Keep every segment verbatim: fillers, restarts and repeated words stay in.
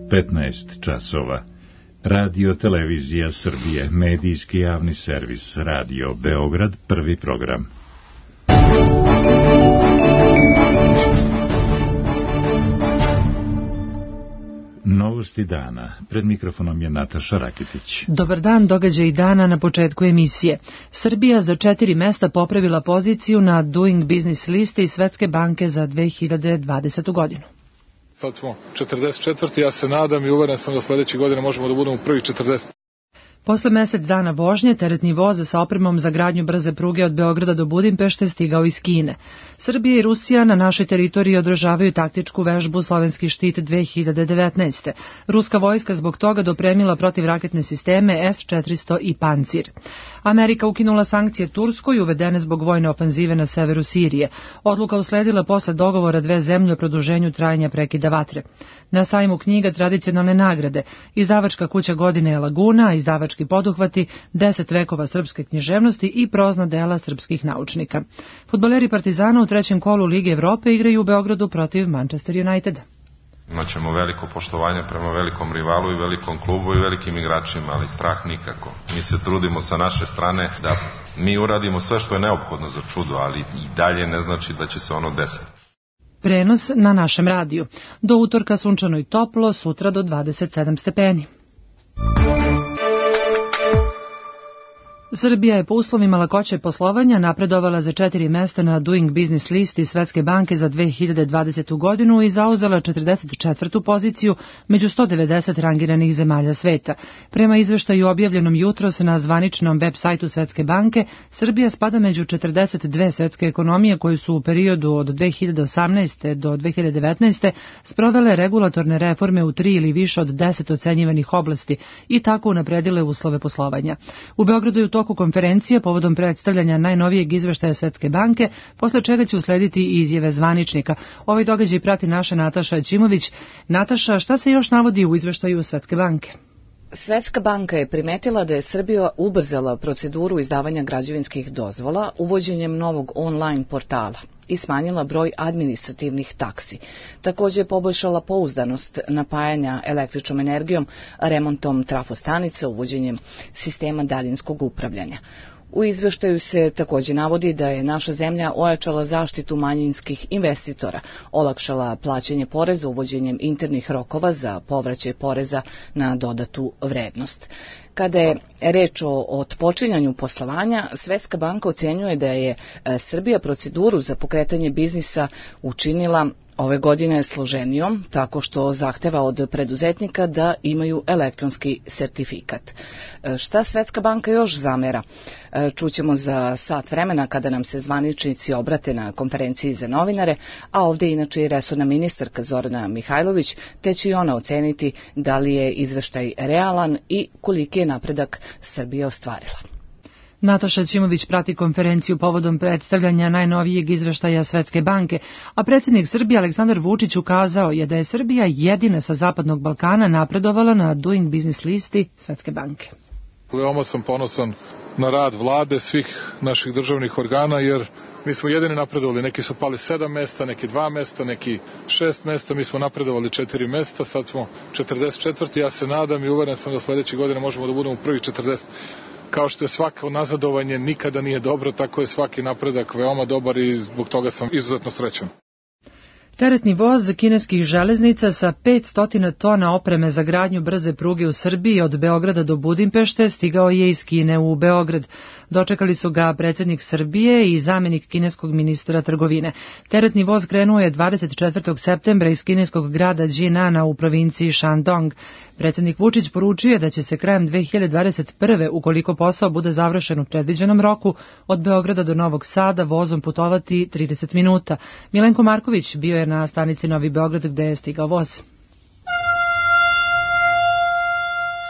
petnaest časova. Radio Televizija Srbije, medijski javni servis, Radio Beograd, prvi program. Novosti dana. Pred mikrofonom je Nataša Rakitić. Dobar dan, događaj dana na početku emisije. Srbija za četiri mesta popravila poziciju na Doing Business listi Svetske banke za dve hiljade dvadesetu godinu. Sad smo četrdeset četvrti. Ja se nadam i uveren sam da sledeće godine možemo da budemo prvi četrdeset. Posle mesec dana vožnje, teretni voz sa opremom za gradnju brze pruge od Beograda do Budimpešte stigao iz Kine. Srbija i Rusija na našoj teritoriji održavaju taktičku vežbu Slovenski štit dve hiljade devetnaeste. Ruska vojska zbog toga dopremila protivraketne sisteme S četiristo i Pancir. Amerika ukinula sankcije Turskoj uvedene zbog vojne ofanzive na severu Sirije. Odluka usledila posle dogovora dve zemlje o produženju trajanja prekida vatre. Na sajmu knjiga tradicionalne nagrade, izdavačka kuća godine je Laguna, izdavački poduhvati, deset vekova srpske književnosti i prozna dela srpskih naučnika. Fudbaleri Partizana u trećem kolu Lige Evrope igraju u Beogradu protiv Manchester Uniteda. Imaćemo veliko poštovanje prema velikom rivalu i velikom klubu i velikim igračima, ali strah nikako. Mi se trudimo sa naše strane da mi uradimo sve što je neophodno za čudo, ali i dalje ne znači da će se ono desiti. Prenos na našem radiju. Do utorka sunčano i toplo, sutra do dvadeset sedam stepeni. Srbija je po uslovima lakoće poslovanja napredovala za četiri mesta na Doing Business listi Svetske banke za dve hiljade dvadesetu godinu i zauzela četrdeset četvrtu poziciju među sto devedeset rangiranih zemalja sveta. Prema izveštaju objavljenom jutros na zvaničnom web sajtu Svetske banke, Srbija spada među četrdeset dve svetske ekonomije koje su u periodu od dve hiljade osamnaeste do dve hiljade devetnaeste sprovele regulatorne reforme u tri ili više od deset ocenjivanih oblasti i tako unapredile uslove poslovanja. U Beogradu je u toku konferencije povodom predstavljanja najnovijeg izveštaja Svetske banke, posle čega će uslediti i izjave zvaničnika. Ovaj događaj prati naša Nataša Ćimović. Nataša, šta se još navodi u izveštaju Svetske banke? Svetska banka je primetila da je Srbija ubrzala proceduru izdavanja građevinskih dozvola uvođenjem novog online portala i smanjila broj administrativnih taksi. Također je poboljšala pouzdanost napajanja električnom energijom, remontom trafostanica, uvođenjem sistema daljinskog upravljanja. U izveštaju se također navodi da je naša zemlja ojačala zaštitu manjinskih investitora, olakšala plaćanje poreza uvođenjem internih rokova za povraćaj poreza na dodatu vrednost. Kada je reč o otpočinjanju poslovanja, Svetska banka ocenjuje da je Srbija proceduru za pokretanje biznisa učinila ove godine složenijom, tako što zahteva od preduzetnika da imaju elektronski sertifikat. Šta Svetska banka još zamera? Čućemo za sat vremena kada nam se zvaničnici obrate na konferenciji za novinare, a ovdje inače i resorna ministarka Zorana Mihajlović, te će i ona oceniti da li je izveštaj realan i koliki je napredak Srbija ostvarila. Nataša Ćimović prati konferenciju povodom predstavljanja najnovijeg izveštaja Svetske banke, a predsjednik Srbije Aleksandar Vučić ukazao je da je Srbija jedina sa Zapadnog Balkana napredovala na Doing Business listi Svetske banke. Veoma sam ponosan na rad vlade, svih naših državnih organa, jer mi smo jedini napredovali. Neki su pali sedam mesta, neki dva mesta, neki šest mesta, mi smo napredovali četiri mesta, sad smo četrdeset četvrti. Ja se nadam i uveren sam da sledeće godine možemo da budemo prvi četrdeset. Kao što je svako nazadovanje nikada nije dobro, tako je svaki napredak veoma dobar i zbog toga sam izuzetno srećan. Teretni voz kineskih železnica sa petsto tona opreme za gradnju brze pruge u Srbiji od Beograda do Budimpešte stigao je iz Kine u Beograd. Dočekali su ga predsjednik Srbije i zamjenik kineskog ministra trgovine. Teretni voz krenuo je dvadeset četvrtog septembra iz kineskog grada Jinana u provinciji Shandong. Predsjednik Vučić poručio je da će se krajem dve hiljade dvadeset prve, ukoliko posao bude završen u predviđenom roku, od Beograda do Novog Sada vozom putovati trideset minuta. Milenko Marković bio je na stanici Novi Beograd gde je stigao voz.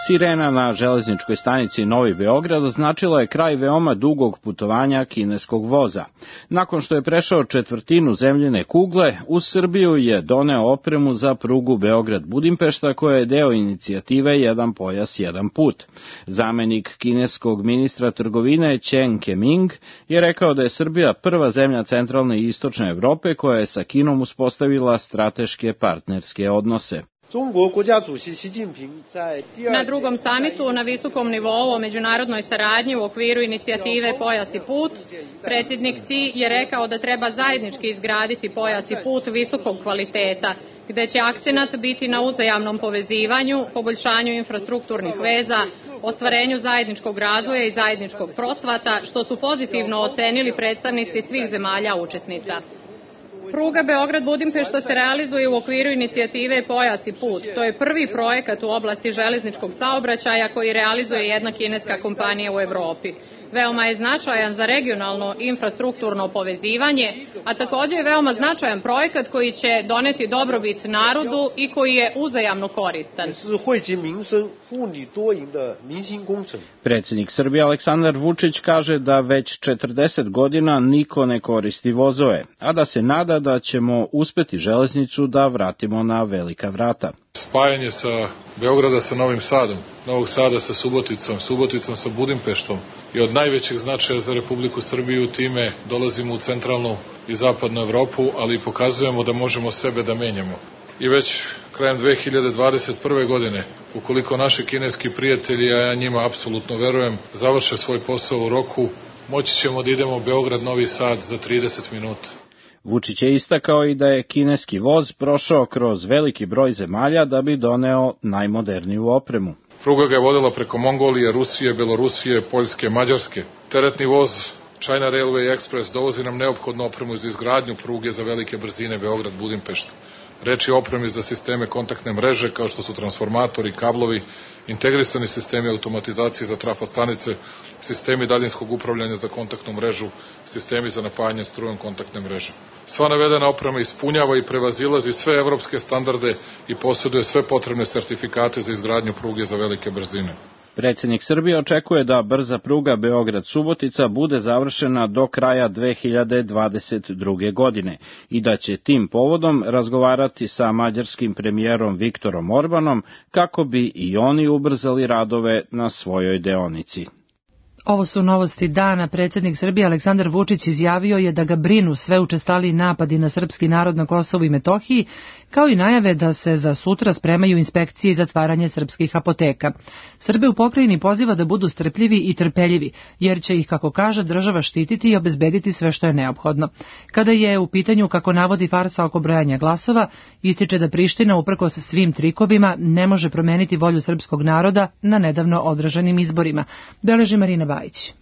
Sirena na železničkoj stanici Novi Beograd označila je kraj veoma dugog putovanja kineskog voza. Nakon što je prešao četvrtinu zemljine kugle, u Srbiju je doneo opremu za prugu Beograd-Budimpešta koja je deo inicijative Jedan pojas, jedan put. Zamenik kineskog ministra trgovine Chen Keming je rekao da je Srbija prva zemlja centralne i istočne Evrope koja je sa Kinom uspostavila strateške partnerske odnose. Na drugom samitu na visokom nivou o međunarodnoj saradnji u okviru inicijative Pojas i put, predsjednik Xi je rekao da treba zajednički izgraditi pojas i put visokog kvaliteta, gde će akcenat biti na uzajamnom povezivanju, poboljšanju infrastrukturnih veza, ostvarenju zajedničkog razvoja i zajedničkog procvata, što su pozitivno ocenili predstavnici svih zemalja učesnica. Pruga Beograd-Budimpešta se realizuje u okviru inicijative Pojas i put. To je prvi projekat u oblasti železničkog saobraćaja koji realizuje jedna kineska kompanija u Evropi. Veoma je značajan za regionalno infrastrukturno povezivanje, a također je veoma značajan projekat koji će doneti dobrobit narodu i koji je uzajamno koristan. Predsjednik Srbije Aleksandar Vučić kaže da već četrdeset godina niko ne koristi vozove, a da se nada da ćemo uspeti železnicu da vratimo na velika vrata. Spajanje sa Beograda sa Novim Sadom, Novog Sada sa Suboticom, Suboticom sa Budimpeštom je od najvećeg značaja za Republiku Srbiju. Time dolazimo u centralnu i zapadnu Evropu, ali i pokazujemo da možemo sebe da menjamo. I već krajem dve hiljade dvadeset prve. godine, ukoliko naši kineski prijatelji, a ja njima apsolutno verujem, završe svoj posao u roku, moći ćemo da idemo Beograd-Novi Sad za trideset minuta. Vučić je istakao i da je kineski voz prošao kroz veliki broj zemalja da bi doneo najmoderniju opremu. Pruga ga je vodila preko Mongolije, Rusije, Belorusije, Poljske, Mađarske. Teretni voz China Railway Express dovozi nam neophodnu opremu za izgradnju pruge za velike brzine Beograd-Budimpešta. Reč je o opremi za sisteme kontaktne mreže kao što su transformatori, kablovi, integrisani sistemi automatizacije za trafostanice, sistemi daljinskog upravljanja za kontaktnu mrežu, sistemi za napajanje strujom kontaktne mreže. Sva navedena oprema ispunjava i prevazilazi sve evropske standarde i posjeduje sve potrebne sertifikate za izgradnju pruge za velike brzine. Predsjednik Srbije očekuje da brza pruga Beograd-Subotica bude završena do kraja dve hiljade dvadeset druge. godine i da će tim povodom razgovarati sa mađarskim premijerom Viktorom Orbanom kako bi i oni ubrzali radove na svojoj deonici. Ovo su novosti dana. Predsjednik Srbije Aleksandar Vučić izjavio je da ga brinu sve učestaliji napadi na srpski narod na Kosovu i Metohiji, kao i najave da se za sutra spremaju inspekcije i zatvaranje srpskih apoteka. Srbe u pokrajini poziva da budu strpljivi i trpeljivi, jer će ih, kako kaže, država štititi i obezbediti sve što je neophodno. Kada je u pitanju, kako navodi, farsa oko brojanja glasova, ističe da Priština, uprkos svim trikovima, ne može promeniti volju srpskog naroda na nedavno održanim izborima. Beleži Marina Bajić.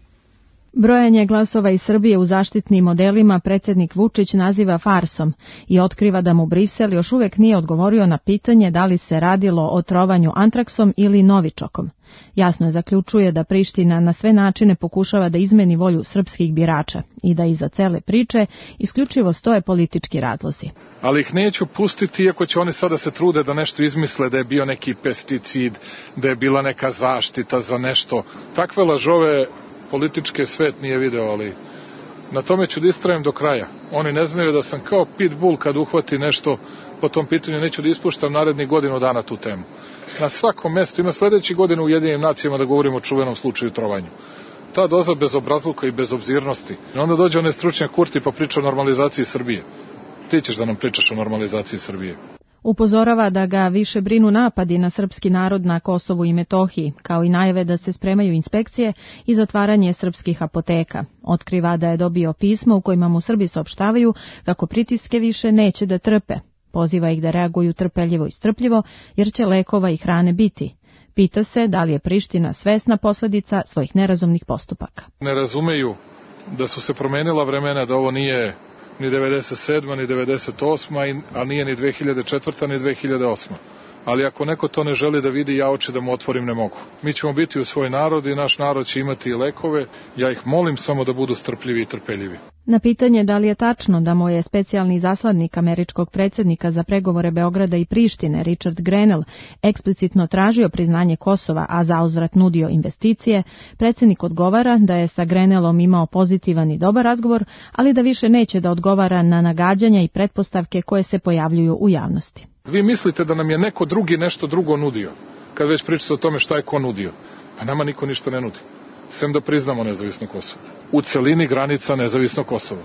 Brojanje glasova iz Srbije u zaštitnim modelima predsjednik Vučić naziva farsom i otkriva da mu Brisel još uvek nije odgovorio na pitanje da li se radilo o trovanju antraksom ili novičokom. Jasno je zaključuje da Priština na sve načine pokušava da izmeni volju srpskih birača i da iza cele priče isključivo stoje politički razlozi. Ali ih neću pustiti, iako će oni sada se trude da nešto izmisle, da je bio neki pesticid, da je bila neka zaštita za nešto. Takve lažove političke svet nije video, ali na tome ću da istrajem do kraja. Oni ne znaju da sam kao pitbull kad uhvati nešto po tom pitanju, neću da ispuštam narednih godinu dana tu temu. Na svakom mestu, ima sledeći godin u Ujedinjenim nacijama da govorimo o čuvenom slučaju trovanju. Ta doza bezobrazluka i bezobzirnosti. I onda dođe onaj stručnjak Kurti pa priča o normalizaciji Srbije. Ti ćeš da nam pričaš o normalizaciji Srbije. Upozorava da ga više brinu napadi na srpski narod na Kosovu i Metohiji, kao i najave da se spremaju inspekcije i zatvaranje srpskih apoteka. Otkriva da je dobio pismo u kojima mu Srbi saopštavaju kako pritiske više neće da trpe. Poziva ih da reaguju trpeljivo i strpljivo, jer će lekova i hrane biti. Pita se da li je Priština svesna posledica svojih nerazumnih postupaka. Ne razumeju da su se promenila vremena, da ovo nije ni devedeset sedma ni devedeset osma, a nije ni dve hiljade četvrta ni dve hiljade osma. Ali ako neko to ne želi da vidi, ja oči da mu otvorim ne mogu. Mi ćemo biti u svoj narod i naš narod će imati i lekove. Ja ih molim samo da budu strpljivi i trpeljivi. Na pitanje da li je tačno da mu je specijalni zasladnik američkog predsjednika za pregovore Beograda i Prištine, Richard Grenell, eksplicitno tražio priznanje Kosova, a zauzvrat nudio investicije, predsjednik odgovara da je sa Grenellom imao pozitivan i dobar razgovor, ali da više neće da odgovara na nagađanja i pretpostavke koje se pojavljuju u javnosti. Vi mislite da nam je neko drugi nešto drugo nudio, kad već pričate o tome šta je ko nudio. Pa nama niko ništa ne nudi, sem da priznamo nezavisno Kosovo. U celini granica nezavisno Kosovo.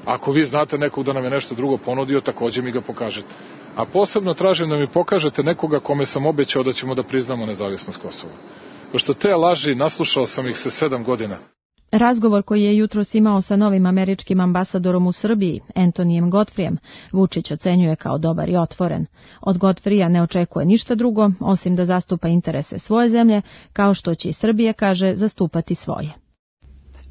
Ako vi znate nekog da nam je nešto drugo ponudio, takođe mi ga pokažete. A posebno tražim da mi pokažete nekoga kome sam obećao da ćemo da priznamo nezavisnost Kosova. Pošto te laži, naslušao sam ih se sedam godina. Razgovor koji je jutros imao sa novim američkim ambasadorom u Srbiji, Antonijem Godfrijem, Vučić ocenjuje kao dobar i otvoren. Od Godfrija ne očekuje ništa drugo, osim da zastupa interese svoje zemlje, kao što će i Srbije, kaže, zastupati svoje.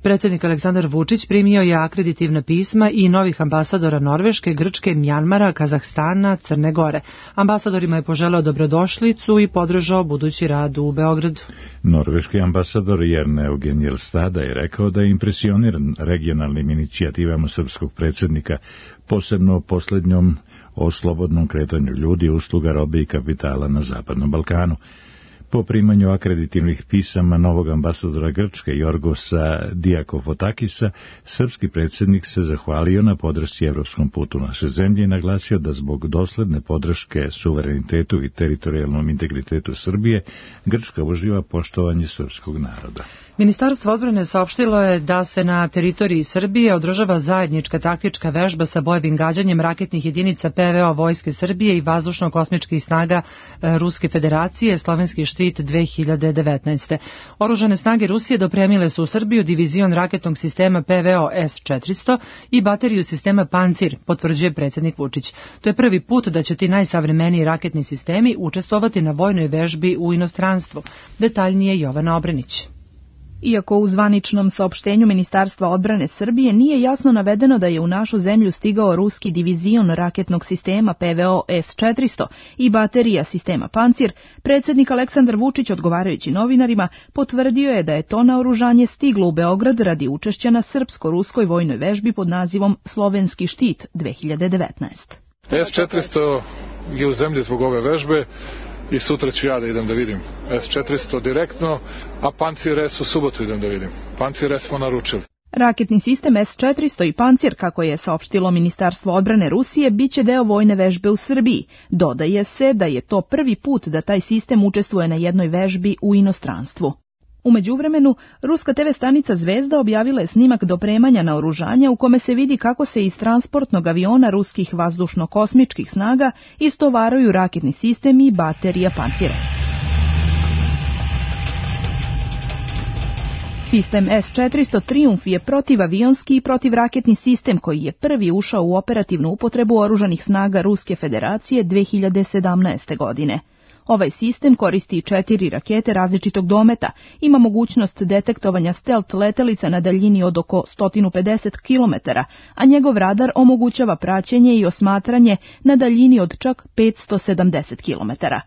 Predsjednik Aleksandar Vučić primio je akreditivna pisma i novih ambasadora Norveške, Grčke, Mjanmara, Kazahstana, Crne Gore. Ambasadorima je poželeo dobrodošlicu i podržao budući rad u Beogradu. Norveški ambasador Jerne Eugen Jelstada je rekao da je impresioniran regionalnim inicijativama srpskog predsjednika, posebno posljednjom o slobodnom kretanju ljudi, usluga, robe i kapitala na Zapadnom Balkanu. Po primanju akreditivnih pisama novog ambasadora Grčke Jorgosa Diakofotakisa, srpski predsjednik se zahvalio na podršci evropskom putu naše zemlje i naglasio da zbog dosledne podrške suverenitetu i teritorijalnom integritetu Srbije, Grčka uživa poštovanje srpskog naroda. Ministarstvo odbrane saopštilo je da se na teritoriji Srbije održava zajednička taktička vežba sa bojevim gađanjem raketnih jedinica P V O Vojske Srbije i vazdušno-kosmičkih snaga Ruske federacije, slovenski štit dve hiljade devetnaeste. Oružane snage Rusije dopremile su u Srbiju divizion raketnog sistema P V O S četiristo i bateriju sistema Pancir, potvrđuje predsjednik Vučić. To je prvi put da će ti najsavremeniji raketni sistemi učestvovati na vojnoj vežbi u inostranstvu. Detaljnije Jovana Obrenić. Iako u zvaničnom saopštenju Ministarstva odbrane Srbije nije jasno navedeno da je u našu zemlju stigao ruski divizion raketnog sistema P V O S četiristo i baterija sistema Pancir, predsjednik Aleksandar Vučić, odgovarajući novinarima, potvrdio je da je to naoružanje stiglo u Beograd radi učešća na srpsko-ruskoj vojnoj vežbi pod nazivom Slovenski štit dve hiljade devetnaeste. S četiristo je u zemlji zbog ove vežbe i sutra ću ja da idem da vidim S četiristo direktno, a Pancir S u subotu idem da vidim. Pancir S smo naručili. Raketni sistem S četiristo i Pancir, kako je saopštilo Ministarstvo odbrane Rusije, biće deo vojne vežbe u Srbiji. Dodaje se da je to prvi put da taj sistem učestvuje na jednoj vežbi u inostranstvu. U međuvremenu, ruska te ve stanica Zvezda objavila je snimak dopremanja naoružanja u kome se vidi kako se iz transportnog aviona ruskih vazdušno-kosmičkih snaga istovaruju raketni sistemi i baterija Pancir S. Sistem S četiristo Triumf je protivavionski i protivraketni sistem koji je prvi ušao u operativnu upotrebu oružanih snaga Ruske federacije dve hiljade sedamnaeste. godine. Ovaj sistem koristi četiri rakete različitog dometa, ima mogućnost detektovanja stelt letelica na daljini od oko sto pedeset kilometara, a njegov radar omogućava praćenje i osmatranje na daljini od čak petsto sedamdeset kilometara.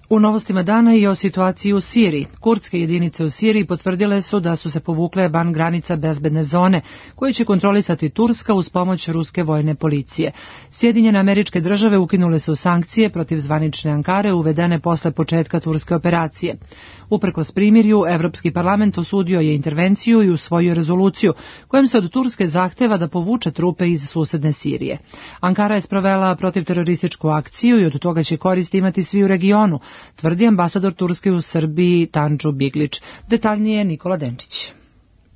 U novostima dana i o situaciji u Siriji. Kurdske jedinice u Siriji potvrdile su da su se povukle van granica bezbedne zone, koju će kontrolisati Turska uz pomoć ruske vojne policije. Sjedinjene Američke Države ukinule su sankcije protiv zvanične Ankare uvedene posle početka turske operacije. Uprkos primirju, Evropski parlament osudio je intervenciju i usvojio rezoluciju, kojom se od Turske zahteva da povuče trupe iz susedne Sirije. Ankara je sprovela protivterorističku akciju i od toga će koristi imati svi u regionu, tvrdi ambasador Turske u Srbiji Tanju Biglić. Detaljnije Nikola Denčić.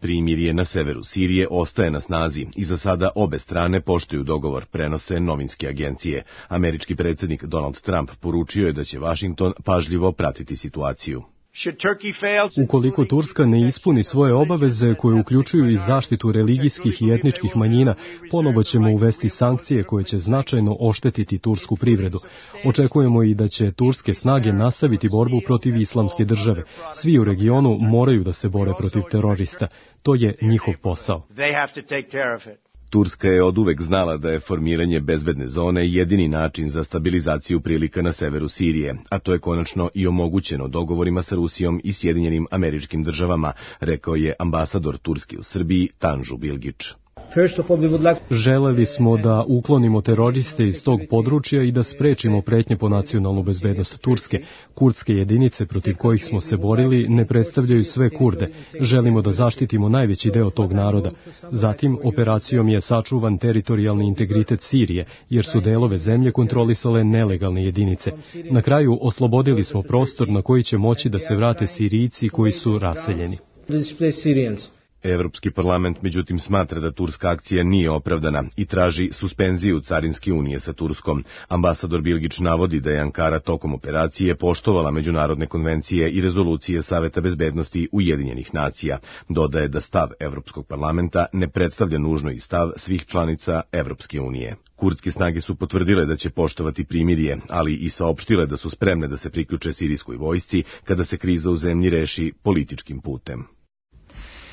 Primirje na severu Sirije ostaje na snazi i za sada obe strane poštuju dogovor, prenose novinske agencije. Američki predsjednik Donald Trump poručio je da će Vašington pažljivo pratiti situaciju. Ukoliko Turska ne ispuni svoje obaveze koje uključuju i zaštitu religijskih i etničkih manjina, ponovo ćemo uvesti sankcije koje će značajno oštetiti tursku privredu. Očekujemo i da će turske snage nastaviti borbu protiv islamske države. Svi u regionu moraju da se bore protiv terorista. To je njihov posao. Turska je oduvek znala da je formiranje bezbedne zone jedini način za stabilizaciju prilika na severu Sirije, a to je konačno i omogućeno dogovorima sa Rusijom i Sjedinjenim Američkim Državama, rekao je ambasador Turske u Srbiji Tanju Biglić. Želeli smo da uklonimo teroriste iz tog područja i da sprečimo pretnje po nacionalnu bezbednost Turske. Kurdske jedinice protiv kojih smo se borili ne predstavljaju sve Kurde. Želimo da zaštitimo najveći deo tog naroda. Zatim, operacijom je sačuvan teritorijalni integritet Sirije, jer su delove zemlje kontrolisale nelegalne jedinice. Na kraju, oslobodili smo prostor na koji će moći da se vrate Sirijci koji su raseljeni. Evropski parlament međutim smatra da turska akcija nije opravdana i traži suspenziju carinske unije sa Turskom. Ambasador Bilgić navodi da je Ankara tokom operacije poštovala međunarodne konvencije i rezolucije Saveta bezbednosti Ujedinjenih nacija. Dodaje da stav Evropskog parlamenta ne predstavlja nužno i stav svih članica Evropske unije. Kurdske snage su potvrdile da će poštovati primirje, ali i saopštile da su spremne da se priključe sirijskoj vojsci kada se kriza u zemlji reši političkim putem.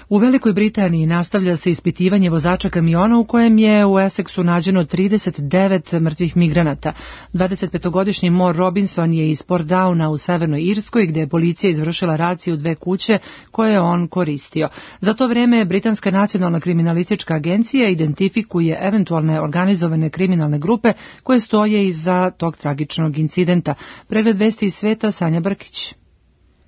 U Velikoj Britaniji nastavlja se ispitivanje vozača kamiona u kojem je u Essexu nađeno trideset devet mrtvih migranata. dvadesetpetogodišnji Mor Robinson je iz Portdowna u Severnoj Irskoj, gde je policija izvršila raciju dve kuće koje je on koristio. Za to vreme Britanska nacionalna kriminalistička agencija identifikuje eventualne organizovane kriminalne grupe koje stoje iza tog tragičnog incidenta. Pregled vesti iz sveta, Sanja Brkić.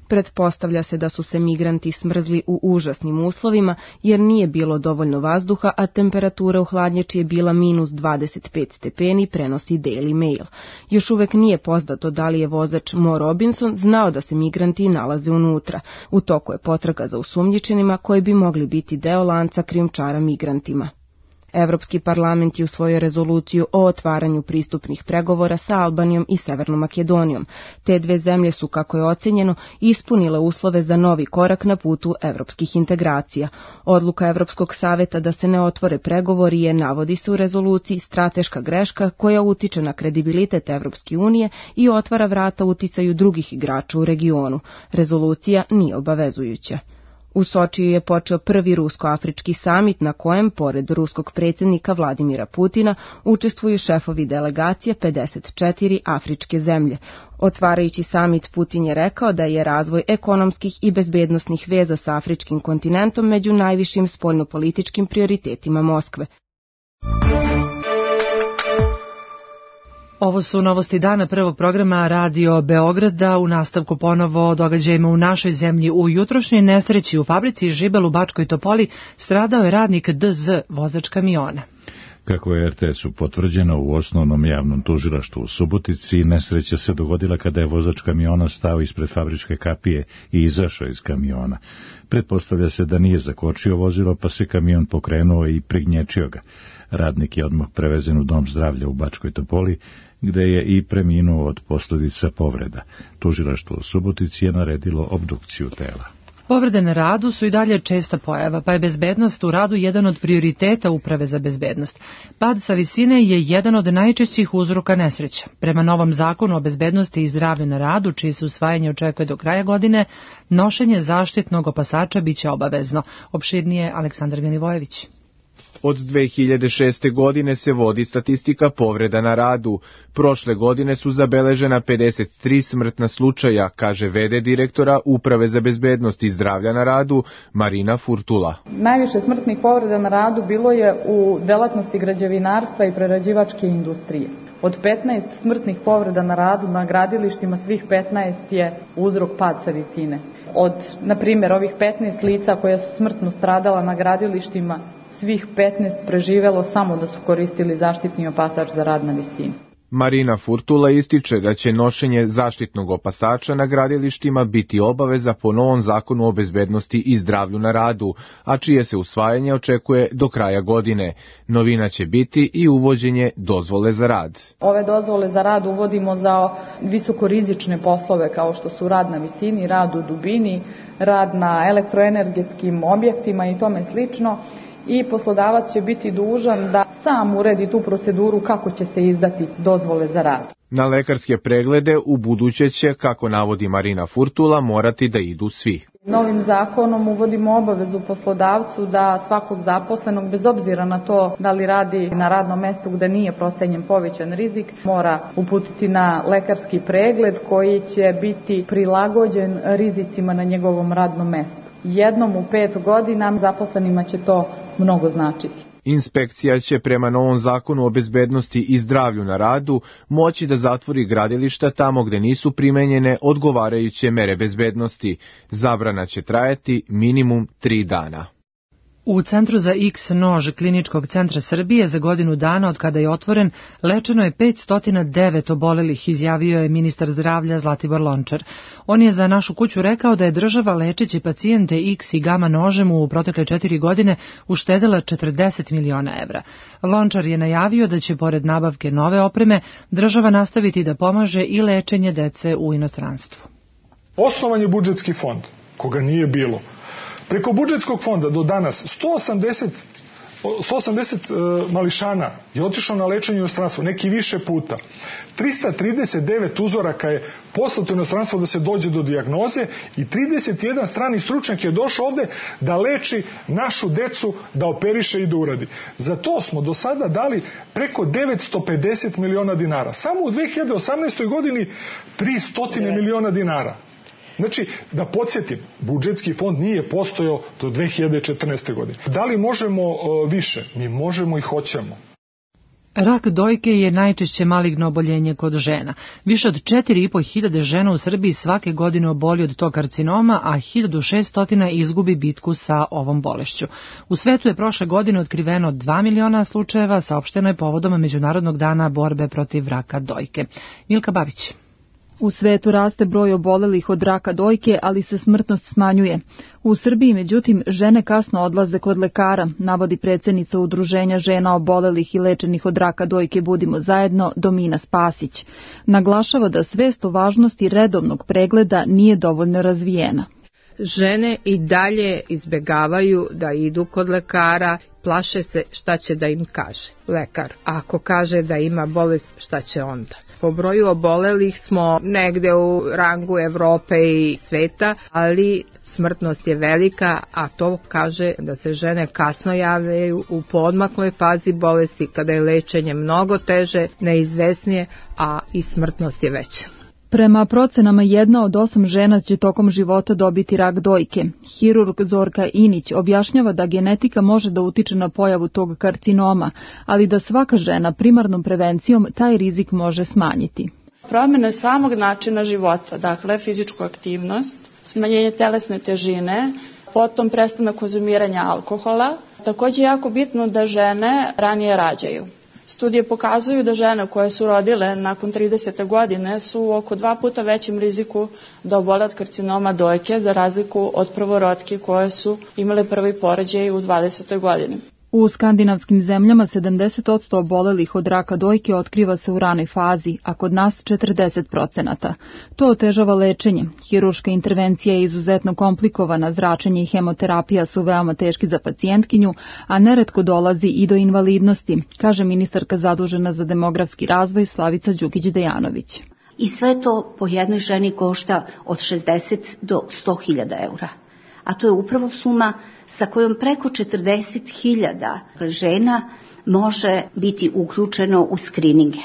Pretpostavlja se da su se migranti smrzli u užasnim uslovima jer nije bilo dovoljno vazduha, a temperatura u hladnjači je bila minus dvadeset pet stepeni, prenosi Daily Mail. Još uvek nije poznato da li je vozač Mo Robinson znao da se migranti nalaze unutra. U toku je potraga za osumnjičenima koji bi mogli biti deo lanca krijumčara migrantima. Evropski parlament je usvojio rezoluciju o otvaranju pristupnih pregovora sa Albanijom i Severnom Makedonijom. Te dve zemlje su, kako je ocenjeno, ispunile uslove za novi korak na putu evropskih integracija. Odluka Evropskog saveta da se ne otvore pregovori je, navodi se u rezoluciji, strateška greška koja utiče na kredibilitet Evropske unije i otvara vrata uticaju drugih igrača u regionu. Rezolucija nije obavezujuća. U Sočiju je počeo prvi rusko-afrički samit na kojem, pored ruskog predsjednika Vladimira Putina, učestvuju šefovi delegacije pedeset četiri afričke zemlje. Otvarajući samit, Putin je rekao da je razvoj ekonomskih i bezbednosnih veza sa afričkim kontinentom među najvišim spoljnopolitičkim prioritetima Moskve. Ovo su novosti dana prvog programa Radio Beograda. U nastavku ponovo događajima u našoj zemlji. U jutrošnjoj nesreći u fabrici Žibel u Bačkoj Topoli stradao je radnik D Z, vozač kamiona. Kako je R T S-u potvrđeno u osnovnom javnom tužilaštvu u Subotici, nesreća se dogodila kada je vozač kamiona stao ispred fabričke kapije i izašao iz kamiona. Pretpostavlja se da nije zakočio vozilo, pa se kamion pokrenuo i prignječio ga. Radnik je odmah prevezen u dom zdravlja u Bačkoj Topoli, gde je i preminuo od posljedica povreda. Tužilaštvo u Subotici je naredilo obdukciju tela. Povrede na radu su i dalje česta pojava, pa je bezbednost u radu jedan od prioriteta Uprave za bezbednost. Pad sa visine je jedan od najčešćih uzroka nesreća. Prema novom zakonu o bezbednosti i zdravlju na radu, čije se usvajanje očekuje do kraja godine, nošenje zaštitnog opasača biće obavezno. Opširnije Aleksandar Ganivojević. Od dve hiljade šeste. godine se vodi statistika povreda na radu. Prošle godine su zabeležena pedeset tri smrtna slučaja, kaže ve de direktora Uprave za bezbednost i zdravlja na radu Marina Furtula. Najviše smrtnih povreda na radu bilo je u delatnosti građevinarstva i prerađivačke industrije. Od petnaest smrtnih povreda na radu na gradilištima, svih petnaest je uzrok pad sa visine. Od, na primjer, ovih petnaest lica koja su smrtno stradala na gradilištima, svih petnaest preživelo samo da su koristili zaštitni opasač za rad na visini. Marina Furtula ističe da će nošenje zaštitnog opasača na gradilištima biti obaveza po novom zakonu o bezbednosti i zdravlju na radu, a čije se usvajanje očekuje do kraja godine. Novina će biti i uvođenje dozvole za rad. Ove dozvole za rad uvodimo za visokorizične poslove kao što su rad na visini, rad u dubini, rad na elektroenergetskim objektima i tome slično. I poslodavac će biti dužan da sam uredi tu proceduru kako će se izdati dozvole za rad. Na lekarske preglede u buduće će, kako navodi Marina Furtula, morati da idu svi. Novim zakonom uvodimo obavezu poslodavcu da svakog zaposlenog, bez obzira na to da li radi na radnom mestu gde nije procenjen povećan rizik, mora uputiti na lekarski pregled koji će biti prilagođen rizicima na njegovom radnom mestu. Jednom u pet godina zaposlenima će to mnogo značiti. Inspekcija će prema novom zakonu o bezbednosti i zdravlju na radu moći da zatvori gradilišta tamo gde nisu primenjene odgovarajuće mere bezbednosti. Zabrana će trajati minimum tri dana. U Centru za X nož Kliničkog centra Srbije za godinu dana od kada je otvoren lečeno je petsto devet obolelih, izjavio je ministar zdravlja Zlatibor Lončar. On je za Našu kuću rekao da je država lečeći pacijente X i gama nožem u protekle četiri godine uštedela četrdeset miliona evra. Lončar je najavio da će pored nabavke nove opreme država nastaviti da pomaže i lečenje dece u inostranstvu. Osnovan je budžetski fond, koga nije bilo. Preko budžetskog fonda do danas sto osamdeset mališana je otišlo na lečenje u inostranstvo, neki više puta. trista trideset devet uzoraka je poslato u inostranstvo da se dođe do dijagnoze i trideset jedan strani stručnjak je došao ovde da leči našu decu, da operiše i da uradi. Za to smo do sada dali preko devetsto pedeset miliona dinara. Samo u dve hiljade osamnaestoj godini tristo miliona dinara. Znači, da podsjetim, budžetski fond nije postojao do dve hiljade četrnaeste. godine. Da li možemo uh, više? Mi možemo i hoćemo. Rak dojke je najčešće maligno oboljenje kod žena. Više od četiri i po hiljade žena u Srbiji svake godine oboli od tog karcinoma, a hiljadu šessto izgubi bitku sa ovom bolešću. U svetu je prošle godine otkriveno dva miliona slučajeva, saopšteno je povodom Međunarodnog dana borbe protiv raka dojke. Milka Babić. U svetu raste broj obolelih od raka dojke, ali se smrtnost smanjuje. U Srbiji, međutim, žene kasno odlaze kod lekara, navodi predsjednica Udruženja žena obolelih i lečenih od raka dojke Budimo zajedno, Domina Spasić. Naglašava da svest o važnosti redovnog pregleda nije dovoljno razvijena. Žene i dalje izbegavaju da idu kod lekara, plaše se šta će da im kaže lekar. Ako kaže da ima bolest, šta će onda? Po broju obolelih smo negde u rangu Evrope i sveta, ali smrtnost je velika, a to kaže da se žene kasno javljaju u poodmakloj fazi bolesti, kada je lečenje mnogo teže, neizvesnije, a i smrtnost je veća. Prema procenama jedna od osam žena će tokom života dobiti rak dojke. Hirurg Zorka Inić objašnjava da genetika može da utiče na pojavu tog karcinoma, ali da svaka žena primarnom prevencijom taj rizik može smanjiti. Promjena samog načina života, dakle fizičku aktivnost, smanjenje telesne težine, potom prestanak konzumiranja alkohola. Također je jako bitno da žene ranije rađaju. Studije pokazuju da žene koje su rodile nakon tridesete godine su oko dva puta većem riziku da obole od karcinoma dojke za razliku od prvorotki koje su imale prvi porođaj u dvadesetoj godini. U skandinavskim zemljama sedamdeset posto obolelih od raka dojke otkriva se u ranoj fazi, a kod nas četrdeset procenata. To otežava lečenje. Hiruška intervencija je izuzetno komplikovana, zračenje i hemoterapija su veoma teški za pacijentkinju, a neretko dolazi i do invalidnosti, kaže ministarka zadužena za demografski razvoj Slavica Đukić-Dejanović. I sve to po jednoj ženi košta od šezdeset do sto hiljada eura. A to je upravo suma sa kojom preko četrdeset hiljada žena može biti uključeno u skrininge.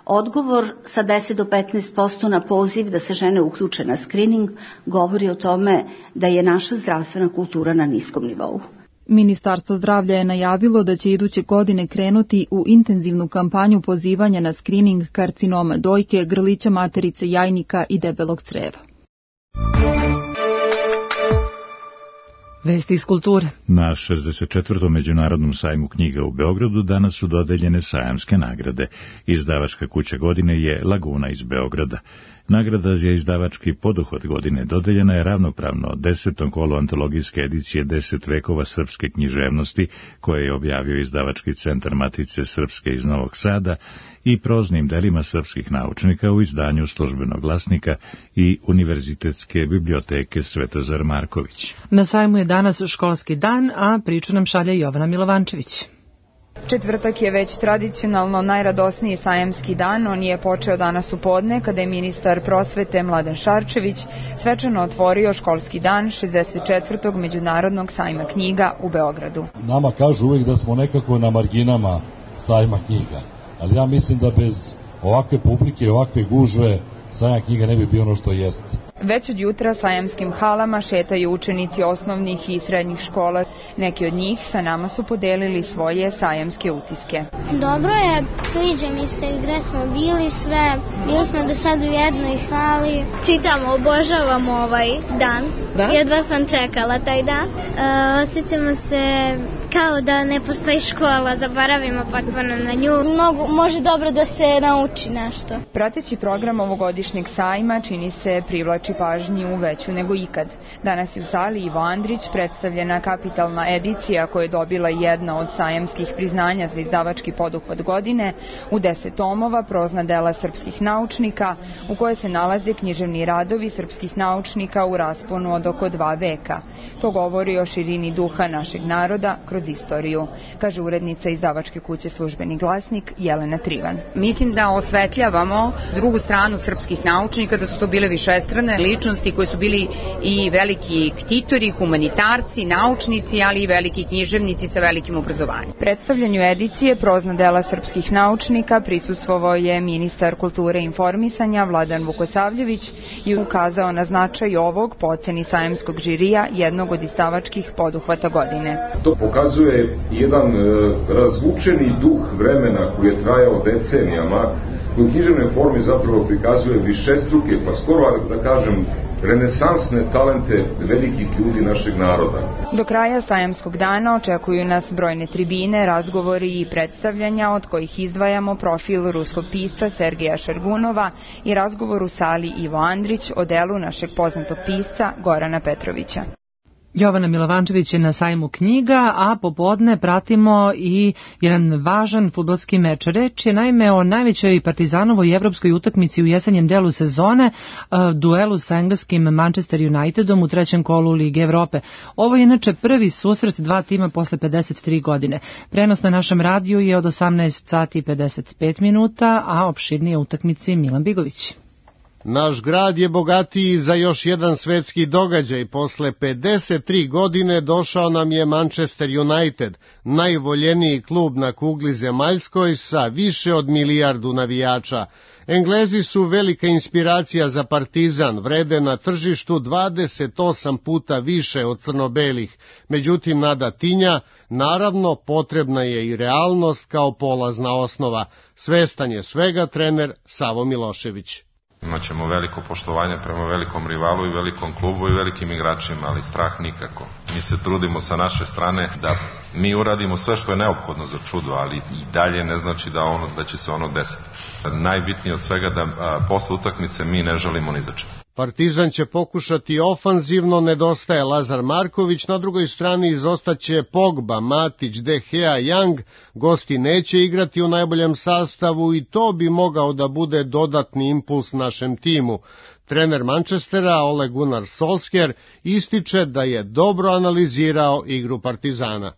Odgovor sa deset do petnaest posto na poziv da se žene uključe na skrining govori o tome da je naša zdravstvena kultura na niskom nivou. Ministarstvo zdravlja je najavilo da će iduće godine krenuti u intenzivnu kampanju pozivanja na skrining karcinoma dojke, grlića materice, jajnika i debelog creva. Vesti iz kulture. Na šezdeset četvrtom Međunarodnom sajmu knjiga u Beogradu danas su dodeljene sajamske nagrade. Izdavačka kuća godine je Laguna iz Beograda. Nagrada za izdavački poduhvat godine dodeljena je ravnopravno desetom kolu antologijske edicije Deset vekova srpske književnosti, koje je objavio izdavački centar Matice Srpske iz Novog Sada, i proznim delima srpskih naučnika u izdanju Službenog glasnika i Univerzitetske biblioteke Svetozar Marković. Na sajmu je danas školski dan, a priču nam šalje Jovana Milovančević. Četvrtak je već tradicionalno najradosniji sajamski dan. On je počeo danas u podne kada je ministar prosvete Mladen Šarčević svečano otvorio školski dan šezdeset četvrtog Međunarodnog sajma knjiga u Beogradu. Nama kažu uvijek da smo nekako na marginama sajma knjiga, ali ja mislim da bez ovakve publike i ovakve gužve sajam knjiga ne bi bio ono što jeste. Već od jutra sajamskim halama šetaju učenici osnovnih i srednjih škola. Neki od njih sa nama su podelili svoje sajamske utiske. Dobro je, sviđa mi se gde smo bili sve. Bili smo do sad u jednoj hali. Čitamo, obožavamo ovaj dan. Da? Jedva sam čekala taj dan. osjećamo se kao da ne postoji škola, zaboravimo potpuno na nju. Mnogo, može dobro da se nauči nešto. Prateći program ovogodišnjeg sajma čini se privlači pažnju veću nego ikad. Danas je u sali Ivo Andrić predstavljena kapitalna edicija koja je dobila jedna od sajamskih priznanja za izdavački poduhvat godine u deset tomova prozna dela srpskih naučnika u koje se nalaze književni radovi srpskih naučnika u rasponu od oko dva veka. To govori o širini duha našeg naroda kroz istoriju, kaže urednica izdavačke kuće Službeni glasnik Jelena Trivan. Mislim da osvetljavamo drugu stranu srpskih naučnika, da su to bile višestrane ličnosti koji su bili i veliki ktitori, humanitarci, naučnici, ali i veliki književnici sa velikim obrazovanjem. Predstavljanju edicije prozna dela srpskih naučnika prisustvovao je ministar kulture i informisanja Vladan Vukosavljević i ukazao na značaj ovog po oceni sajamskog žirija jednog od izdavačkih poduhvata godine. To pokazuje jedan e, razvučeni duh vremena koji je trajao decenijama, koji u književnoj formi zapravo prikazuje višestruke, pa skoro da kažem renesansne talente velikih ljudi našeg naroda. Do kraja sajamskog dana očekuju nas brojne tribine, razgovori i predstavljanja od kojih izdvajamo profil ruskog pisca Sergeja Šargunova i razgovor u sali Ivo Andrić o delu našeg poznatog pisca Gorana Petrovića. Jovana Milovančević je na sajmu knjiga, a popodne pratimo i jedan važan fudbalski meč. Reč je naime o najvećoj Partizanovoj evropskoj utakmici u jesenjem delu sezone, duelu sa engleskim Manchester Unitedom u trećem kolu Lige Evrope. Ovo je inače prvi susret dva tima posle pedeset tri godine. Prenos na našem radiju je od osamnaest sati i pedeset pet minuta, a opširnije utakmici Milan Bigović. Naš grad je bogatiji za još jedan svetski događaj. Posle pedeset tri godine došao nam je Manchester United, najvoljeniji klub na kugli zemaljskoj sa više od milijardu navijača. Englezi su velika inspiracija za Partizan, vrede na tržištu dvadeset osam puta više od crno-belih. Međutim, nada tinja, naravno potrebna je i realnost kao polazna osnova. Svestan je svega trener Savo Milošević. Imaćemo veliko poštovanje prema velikom rivalu i velikom klubu i velikim igračima, ali strah nikako. Mi se trudimo sa naše strane da mi uradimo sve što je neophodno za čudo, ali i dalje ne znači da, ono, da će se ono desiti. Najbitnije od svega da a, posle utakmice mi ne želimo ni za čemu. Partizan će pokušati ofanzivno, nedostaje Lazar Marković, na drugoj strani izostaće Pogba, Matić, De Gea, Young, gosti neće igrati u najboljem sastavu i to bi mogao da bude dodatni impuls našem timu. Trener Manchestera Ole Gunnar Solskjaer ističe da je dobro analizirao igru Partizana.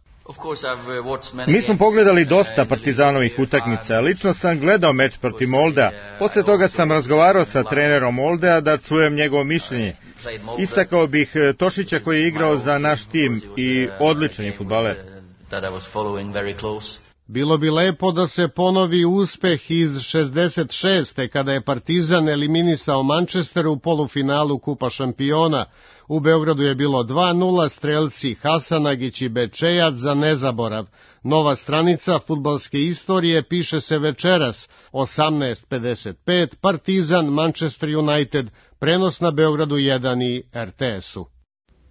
Mi smo pogledali dosta Partizanovih utakmica. Lično sam gledao meč protiv Moldea. Posle toga sam razgovarao sa trenerom Moldea da čujem njegovo mišljenje. Istakao bih Tošića koji je igrao za naš tim i odličan je fudbaler. Bilo bi lepo da se ponovi uspeh iz šezdeset šeste kada je Partizan eliminisao Manchester u polufinalu Kupa šampiona. U Beogradu je bilo dva nula, strelci Hasanagić i Bečejac za nezaborav. Nova stranica fudbalske istorije piše se večeras, osamnaest pedeset pet, Partizan, Manchester United, prenos na Beogradu jedan i er te esu.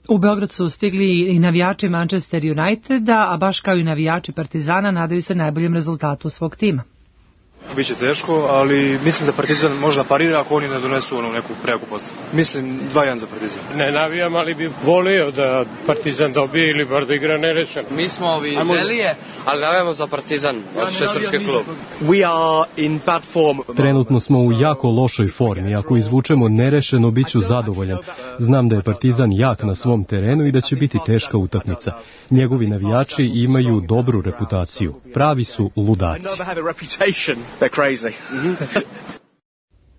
U Beograd su stigli i navijači Manchester Uniteda, a baš kao i navijači Partizana nadaju se najboljem rezultatu svog tima. Biće teško, ali mislim da Partizan može da parira ako oni ne donesu onu neku prejaku postavu. Mislim dva jedan za Partizan. Ne navijam, ali bi volio da Partizan dobije ili bar da igra nerešeno. Mi smo ovi Velije, ali navijamo za Partizan, otiče srpski klub. We are in bad form. Trenutno smo u jako lošoj formi. Ako izvučemo nerešeno, bit ću zadovoljan. Znam da je Partizan jak na svom terenu i da će biti teška utakmica. Njegovi navijači imaju dobru reputaciju. Pravi su ludaci.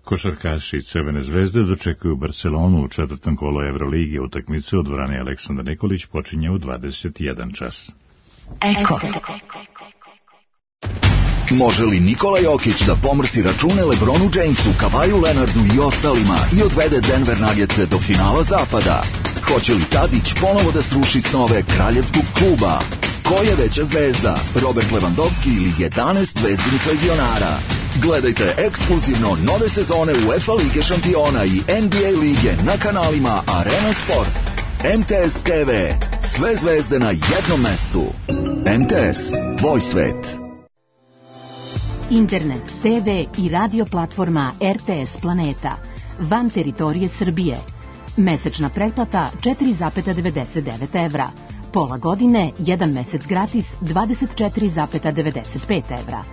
Košarkaši Crvene zvezde dočekuju Barcelonu u četvrtom kolu Evrolige. Utakmice u dvorani Aleksandar Nikolić počinje u dvadeset jedan čas. Eko. Može li Nikola Jokić da pomrsi račune LeBronu Jamesu, Kavaju Leonardu i ostalima i odvede Denver Nuggetse do finala zapada? Hoće li Tadić ponovo da sruši snove kraljevskog kluba? Ko je veća zvezda, Robert Lewandowski ili jedanaest zvezdinih legionara? Gledajte ekskluzivno nove sezone UEFA Lige šampiona i N B A lige na kanalima Arena Sport. M T S T V, Sve zvezde na jednom mestu. M T S, tvoj svet. Internet, te ve i radio platforma er te es Planeta. Van teritorije Srbije. Mesečna pretplata četiri zarez devedeset devet evra. Pola godine, jedan mesec gratis, dvadeset četiri zarez devedeset pet evra.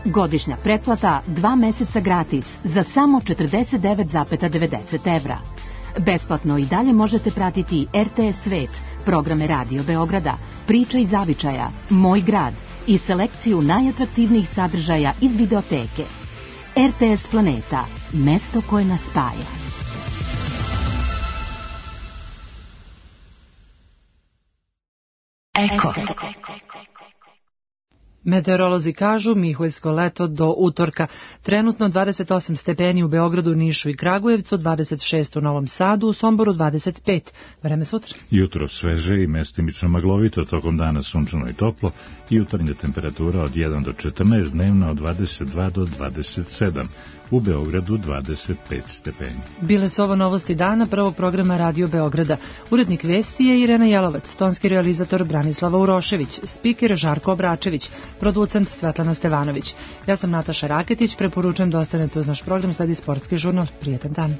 Godišnja pretplata, dva meseca gratis, za samo četrdeset devet zarez devedeset evra. Besplatno i dalje možete pratiti er te es Svet, programe Radio Beograda, Priča iz zavičaja, Moj grad i selekciju najatraktivnijih sadržaja iz videoteke. er te es Planeta, mesto koje nas spaja. Eko. Meteorolozi kažu Miholjsko leto do utorka. Trenutno dvadeset osam stepeni u Beogradu, Nišu i Kragujevcu, dvadeset šest u Novom Sadu, u Somboru dvadeset pet. Vreme sutra. Jutro sveže i mestimično maglovito, tokom dana sunčano i toplo, jutarnja temperatura od jedan do četrnaest, dnevna od dvadeset dva do dvadeset sedam. U Beogradu dvadeset pet stepeni. Bile su ovo novosti dana prvog programa Radio Beograda. Urednik vesti je Irena Jelovac, tonski realizator Branislava Urošević, spiker Žarko Obračević, producent Svetlana Stevanović. Ja sam Nataša Raketić, preporučujem da ostanete uz naš program, sledi sportski žurnal. Prijetan dan.